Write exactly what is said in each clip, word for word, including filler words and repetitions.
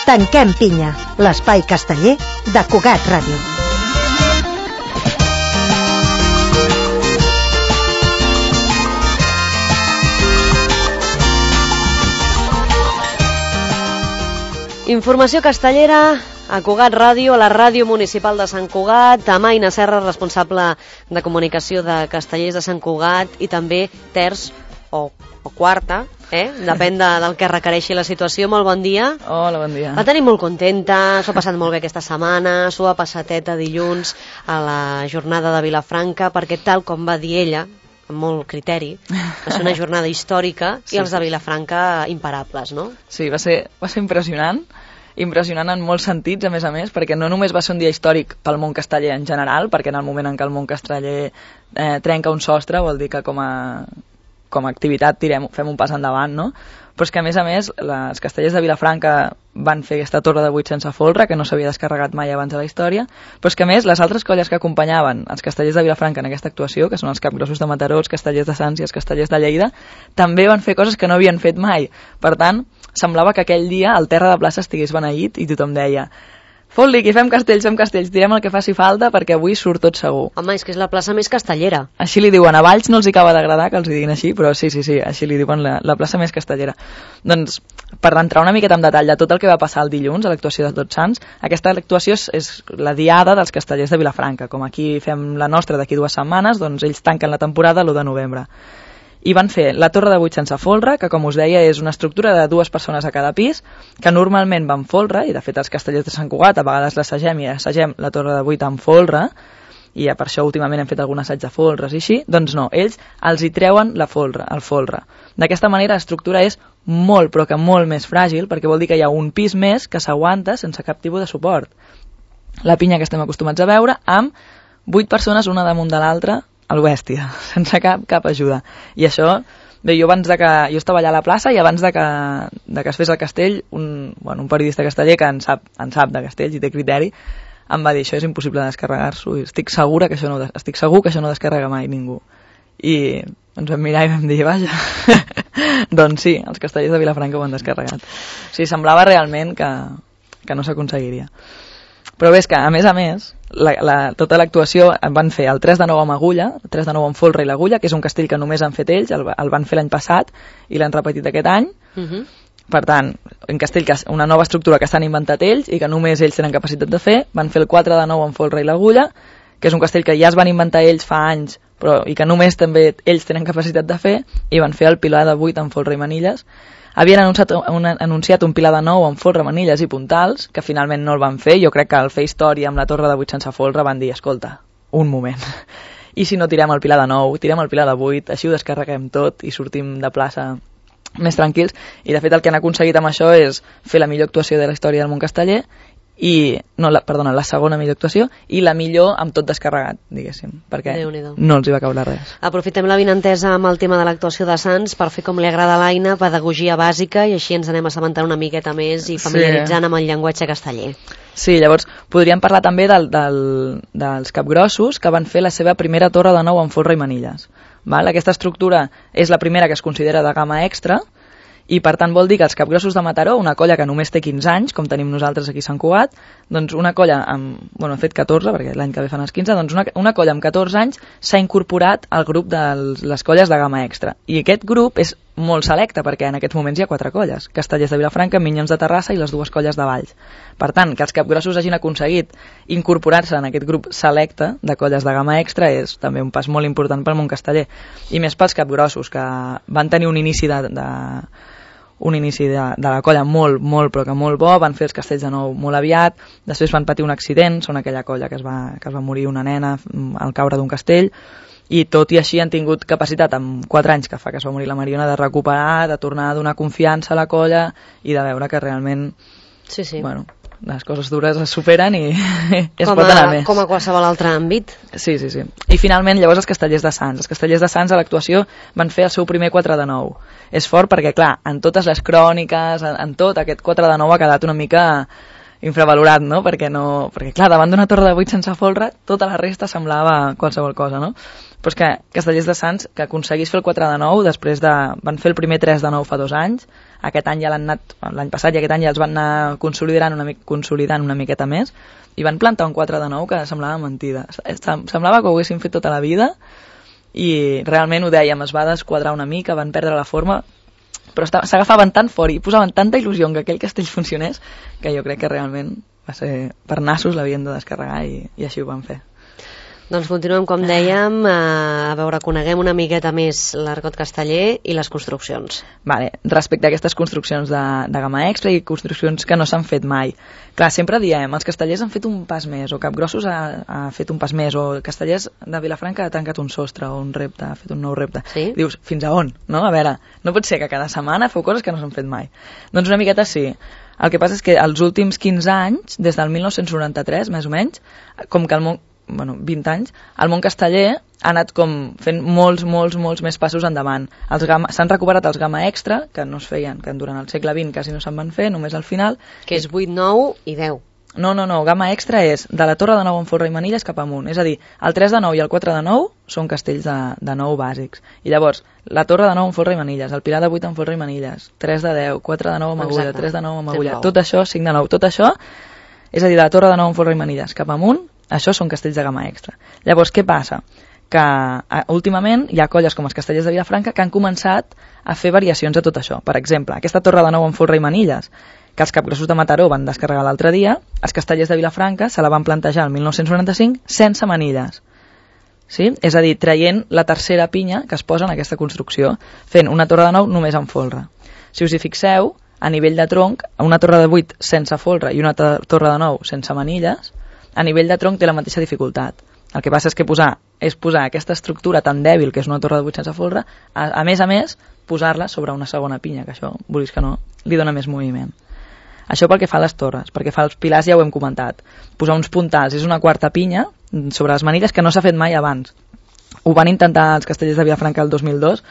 Tanquem pinya, l'espai casteller de Cugat Ràdio. Informació castellera a Cugat Ràdio, a la ràdio municipal de Sant Cugat, amb Aina Serra, responsable de comunicació de Castellers de Sant Cugat, i també terç o, o quarta, eh? Depèn de, del que requereixi la situació. Molt bon dia. Hola, bon dia. La tenim molt contenta, s'ho ha passat molt bé aquesta setmana, s'ho ha passateta dilluns a la jornada de Vilafranca, perquè tal com va dir ella, amb molt criteri, va ser una jornada històrica, sí, i els de Vilafranca imparables, no? Sí, va ser, va ser impressionant, impressionant en molts sentits, a més a més, perquè no només va ser un dia històric pel món casteller en general, perquè en el moment en què el món casteller eh, trenca un sostre, vol dir que com a, com a activitat tirem, fem un pas endavant, no? Però és que, a més a més, les castellers de Vilafranca van fer aquesta torre de vuit sense folre, que no s'havia descarregat mai abans de la història, però és que, a més, les altres colles que acompanyaven els castellers de Vilafranca en aquesta actuació, que són els capgrossos de Mataró, els castellers de Sants i els castellers de Lleida, també van fer coses que no havien fet mai. Per tant, semblava que aquell dia el terra de plaça estigués beneït i tothom deia: fot-li, que fem castells, fem castells, tirem el que faci falta perquè avui surt tot segur. Home, és que és la plaça més castellera. Així li diuen, a Valls no els acaba d'agradar que els diguin així, però sí, sí, sí, així li diuen la, la plaça més castellera. Doncs, per entrar una miqueta en detall de tot el que va passar el dilluns a l'actuació de Tots Sants, aquesta actuació és, és la diada dels castellers de Vilafranca. Com aquí fem la nostra d'aquí dues setmanes, doncs ells tanquen la temporada l'u de novembre. I van fer la torre de vuit sense folre, que com us deia és una estructura de dues persones a cada pis, que normalment va amb folre, i de fet els castellers de Sant Cugat a vegades l'assagem i assagem la torre de vuit amb folre, i per això últimament hem fet algun assaig de folres i així. Doncs no, ells els hi treuen la folre, el folre. D'aquesta manera l'estructura és molt, però que molt més fràgil, perquè vol dir que hi ha un pis més que s'aguanta sense cap tipus de suport. La pinya que estem acostumats a veure amb vuit persones una damunt de l'altra, el bèstia, sense cap, cap ajuda. I això, bé, jo abans de que... Jo estava allà a la plaça i abans de que, de que es fes el castell, un, bueno, un periodista casteller que en sap, en sap de castells i té criteri, em va dir: això és impossible de descarregar-s'ho, i estic, segura que això no, estic segur que això no descarrega mai ningú. I ens vam mirar i vam dir: vaja. Doncs sí, els castellers de Vilafranca ho han descarregat. O sigui, semblava realment que, que no s'aconseguiria. Però bé, és que, a més a més, la, la, tota l'actuació van fer el tres de nou amb agulla, el tres de nou amb folre i l'agulla, que és un castell que només han fet ells, el, el van fer l'any passat i l'han repetit aquest any. Uh-huh. Per tant, un castell, que una nova estructura que s'han inventat ells i que només ells tenen capacitat de fer. Van fer el quatre de nou amb folre i l'agulla, que és un castell que ja es van inventar ells fa anys, però i que només també ells tenen capacitat de fer, i van fer el pilar de vuit amb folre i manilles. Havien anunciat un, anunciat un pilar de nou amb folre, manilles i puntals, que finalment no el van fer. Jo crec que al fer història amb la torre de vuit sense folre van dir: escolta, un moment, i si no tirem el pilar de nou, tirem el pilar de vuit, així ho descarreguem tot i sortim de plaça més tranquils. I de fet el que han aconseguit amb això és fer la millor actuació de la història del món casteller, i, no, la, perdona, la segona millor actuació, i la millor amb tot descarregat, diguéssim, perquè no els hi va caure res. Aprofitem la vinentesa amb el tema de l'actuació de Sants per fer, com li agrada a l'Aina, pedagogia bàsica, i així ens anem assabentant una miqueta més i familiaritzant sí. amb el llenguatge casteller. Sí, llavors podríem parlar també del, del, dels capgrossos, que van fer la seva primera torre de nou amb folre i manilles. Val? Aquesta estructura és la primera que es considera de gamma extra, i per tant vol dir que els capgrossos de Mataró, una colla que només té quinze anys, com tenim nosaltres aquí a Sant Cugat, doncs una colla amb, bueno, he fet catorze, perquè l'any que ve fan els quinze, doncs una, una colla amb catorze anys s'ha incorporat al grup de les colles de gamma extra. I aquest grup és molt selecte, perquè en aquests moments hi ha quatre colles: Castellers de Vilafranca, Minyons de Terrassa i les dues colles de Valls. Per tant, que els capgrossos hagin aconseguit incorporar-se en aquest grup selecte de colles de gamma extra és també un pas molt important pel món casteller. I més pels capgrossos, que van tenir un inici de... de un inici de, de la colla molt, molt, però que molt bo, van fer els castells de nou molt aviat, després van patir un accident, són aquella colla que es va, que es va morir una nena al caure d'un castell, i tot i així han tingut capacitat, amb quatre anys que fa que es va morir la Mariona, de recuperar, de tornar a donar confiança a la colla i de veure que realment, sí, sí. bueno, les coses dures es superen i es com pot anar a, més. Com a qualsevol altre àmbit. Sí, sí, sí. I finalment, llavors, els castellers de Sants. Els castellers de Sants a l'actuació van fer el seu primer quatre de nou. És fort perquè, clar, en totes les cròniques, en, en tot, aquest quatre de nou ha quedat una mica infravalorat, no? Perquè, no, perquè clar, davant d'una torre de vuit sense folre, tota la resta semblava qualsevol cosa, no? Però és que Castellers de Sants, que aconseguís fer el quatre de nou, després de... van fer el primer tres de nou fa dos anys, aquest any ja l'han anat, l'any passat i aquest any ja els van anar consolidant una, consolidant una miqueta més, i van plantar un quatre de nou que semblava mentida. Semblava que ho haguessin fet tota la vida, i realment ho dèiem, es va desquadrar una mica, van perdre la forma, però s'agafaven tan fort i posaven tanta il·lusió en que aquell castell funcionés, que jo crec que realment va ser per nassos, l'havien de descarregar i, i així ho van fer. Doncs continuem, com dèiem, a veure, coneguem una miqueta més l'Argot Casteller i les construccions. Vale. Respecte a aquestes construccions de, de gamma extra i construccions que no s'han fet mai. Clar, sempre diem, els castellers han fet un pas més, o Capgrossos ha, ha fet un pas més, o Castellers de Vilafranca ha tancat un sostre o un repte, ha fet un nou repte. Sí? Dius, fins a on? No? A veure, no pot ser que cada setmana feu coses que no s'han fet mai. Doncs una miqueta sí. El que passa és que els últims quinze anys, des del mil nou-cents noranta-tres, més o menys, com que el món, bueno, vint anys, el món casteller ha anat com fent molts, molts, molts més passos endavant. S'han recuperat els gamma extra, que no es feien, que durant el segle vint quasi no se'n van fer, només al final. Que és vuit, nou i deu. No, no, no, gamma extra és de la Torre de Nou amb Folre i Manilles cap amunt. És a dir, el tres de nou i el quatre de nou són castells de, de nou bàsics. I llavors, la Torre de Nou amb Folre i Manilles, el Pilar de vuit amb Folre i Manilles, tres de deu, quatre de nou amb Agulla, tres de nou amb Agulla, tot això, cinc de nou, tot això, és a dir, de la Torre de Nou amb Folre i Manilles cap amunt, això són castells de gamma extra. Llavors, què passa? Que a, últimament hi ha colles com els Castellers de Vilafranca que han començat a fer variacions de tot això. Per exemple, aquesta Torre de Nou amb Folre i Manilles, que els Capgrossos de Mataró van descarregar l'altre dia, els Castellers de Vilafranca se la van plantejar el mil nou-cents noranta-cinc sense manilles. Sí? És a dir, traient la tercera pinya que es posa en aquesta construcció, fent una Torre de Nou només amb folre. Si us hi fixeu, a nivell de tronc, una Torre de vuit sense folre i una Torre de Nou sense manilles, a nivell de tronc té la mateixa dificultat. El que passa és que posar és posar aquesta estructura tan dèbil que és una torre de vuit sense folre, a, a més a més, posar-la sobre una segona pinya, que això, vulguis que no, li dona més moviment. Això pel que fa a les torres, perquè fa els pilars ja ho hem comentat. Posar uns puntals és una quarta pinya sobre les manilles que no s'ha fet mai abans. Ho van intentar els Castellers de Vilafranca el dos mil dos,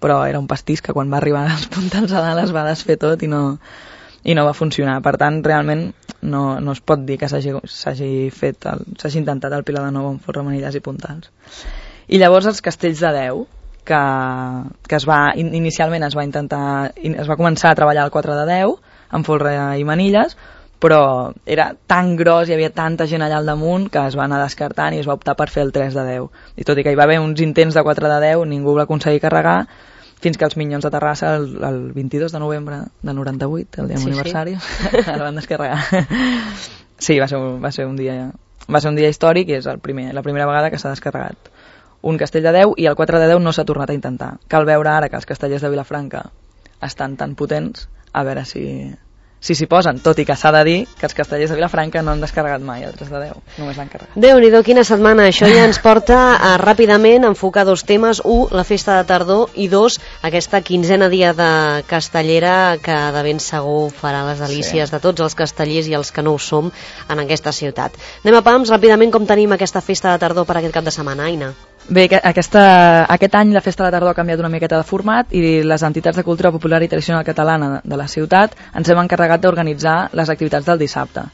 però era un pastís que quan va arribar els puntals a dalt es va desfer tot i no... i no va funcionar. Per tant, realment no, no es pot dir que s'hagi fet s'hagi intentat el Pilar de Nou amb folre, manilles i puntals. I llavors els castells de deu, que, que es va, inicialment es va intentar es va començar a treballar el quatre de deu amb folre i manilles, però era tan gros, hi havia tanta gent allà al damunt que es va anar descartant i es va optar per fer el tres de deu. I tot i que hi va haver uns intents de quatre de deu, ningú va aconseguir carregar, fins que els Minyons de Terrassa, el, el vint-i-dos de novembre del noranta-vuit, el dia sí, aniversari, sí. el van descarregar. Sí, va ser, va ser un dia va ser un dia històric i és el primer, la primera vegada que s'ha descarregat un castell de deu i el quatre de deu no s'ha tornat a intentar. Cal veure ara que els castellers de Vilafranca estan tan potents, a veure si si s'hi posen, tot i que s'ha de dir que els castellers de Vilafranca no han descarregat mai el tres de deu, només l'han carregat. Déu-n'hi-do, quina setmana. Això ja ens porta a ràpidament enfocar dos temes. Un, la festa de tardor, i dos, aquesta quinzena dia de castellera que de ben segur farà les delícies sí. de tots els castellers i els que no ho som en aquesta ciutat. Anem a pams, ràpidament, com tenim aquesta festa de tardor per aquest cap de setmana, Aina? Bé, aquesta, aquest any la Festa de la Tardor ha canviat una miqueta de format i les entitats de cultura popular i tradicional catalana de la ciutat ens hem encarregat d'organitzar les activitats del dissabte.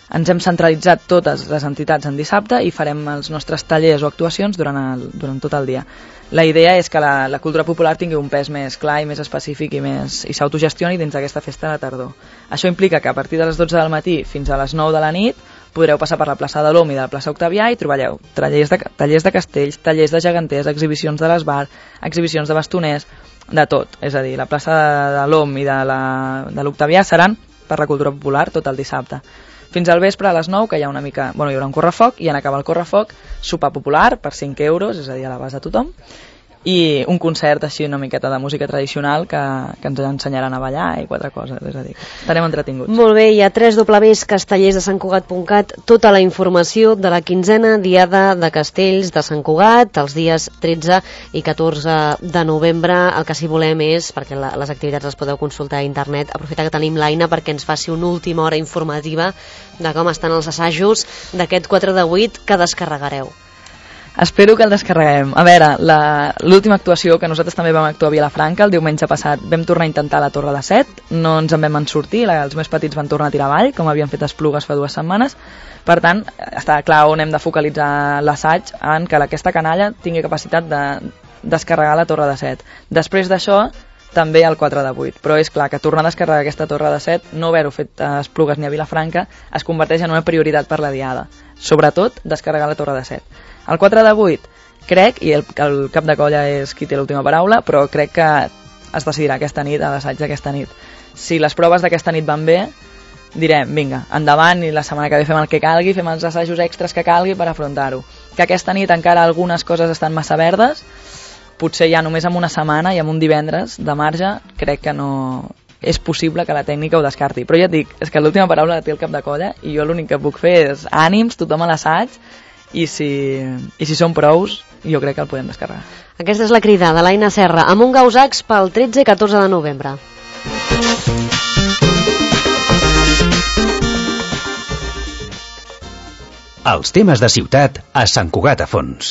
Ens hem centralitzat totes les entitats en dissabte i farem els nostres tallers o actuacions durant, el, durant tot el dia. La idea és que la, la cultura popular tingui un pes més clar i més específic i, més, i s'autogestioni dins d'aquesta Festa de la Tardor. Això implica que a partir de les dotze del matí fins a les nou de la nit podreu passar per la plaça de l'Om i de la plaça Octavià i trobareu tallers de, tallers de castells, tallers de geganters, exhibicions de l'esbar, exhibicions de bastoners, de tot. És a dir, la plaça de l'Om i de l'Octavià seran per la cultura popular tot el dissabte. Fins al vespre a les nou, que hi ha una mica... Bueno, hi haurà un correfoc i en acabar el correfoc, sopar popular per cinc euros, és a dir, a l'abast de tothom, i un concert així una miqueta de música tradicional que, que ens ensenyaran a ballar i quatre coses, és a dir, estarem entretinguts. Molt bé, hi ha tres dobles castellers de Sant Cugat punt cat, tota la informació de la quinzena diada de castells de Sant Cugat, els dies tretze i catorze de novembre. El que sí volem és, perquè la, les activitats les podeu consultar a internet, aprofitar que tenim l'Aina perquè ens faci una última hora informativa de com estan els assajos d'aquest quatre de vuit que descarregareu. Espero que el descarreguem. A veure, la- l'última actuació, que nosaltres també vam actuar a Vilafranca, el diumenge passat vam tornar a intentar la Torre de Set, no ens en vam en sortir, la- els més petits van tornar a tirar avall, com havien fet Esplugues fa dues setmanes. Per tant, està clar on hem de focalitzar l'assaig, en que aquesta canalla tingui capacitat de descarregar la Torre de Set. Després d'això, també el quatre de vuit, però és clar que tornar a descarregar aquesta Torre de Set, no haver-ho fet a Esplugues ni a Vilafranca, es converteix en una prioritat per la diada, sobretot descarregar la Torre de Set. El quatre de vuit, crec, i el, el cap de colla és qui té l'última paraula, però crec que es decidirà aquesta nit, a l'assaig d'aquesta nit. Si les proves d'aquesta nit van bé, direm, vinga, endavant, i la setmana que ve fem el que calgui, fem els assajos extras que calgui per afrontar-ho. Que aquesta nit encara algunes coses estan massa verdes, potser ja només amb una setmana i amb un divendres de marge, crec que no és possible que la tècnica ho descarti. Però ja et dic, és que l'última paraula la té el cap de colla i jo l'únic que puc fer és ànims, tothom a l'assaig, i si, i si són prous, jo crec que el podem descarregar. Aquesta és la crida de l'Aina Serra, amb un Gausacs pel tretze i catorze de novembre. Els temes de ciutat a Sant Cugat a Fons.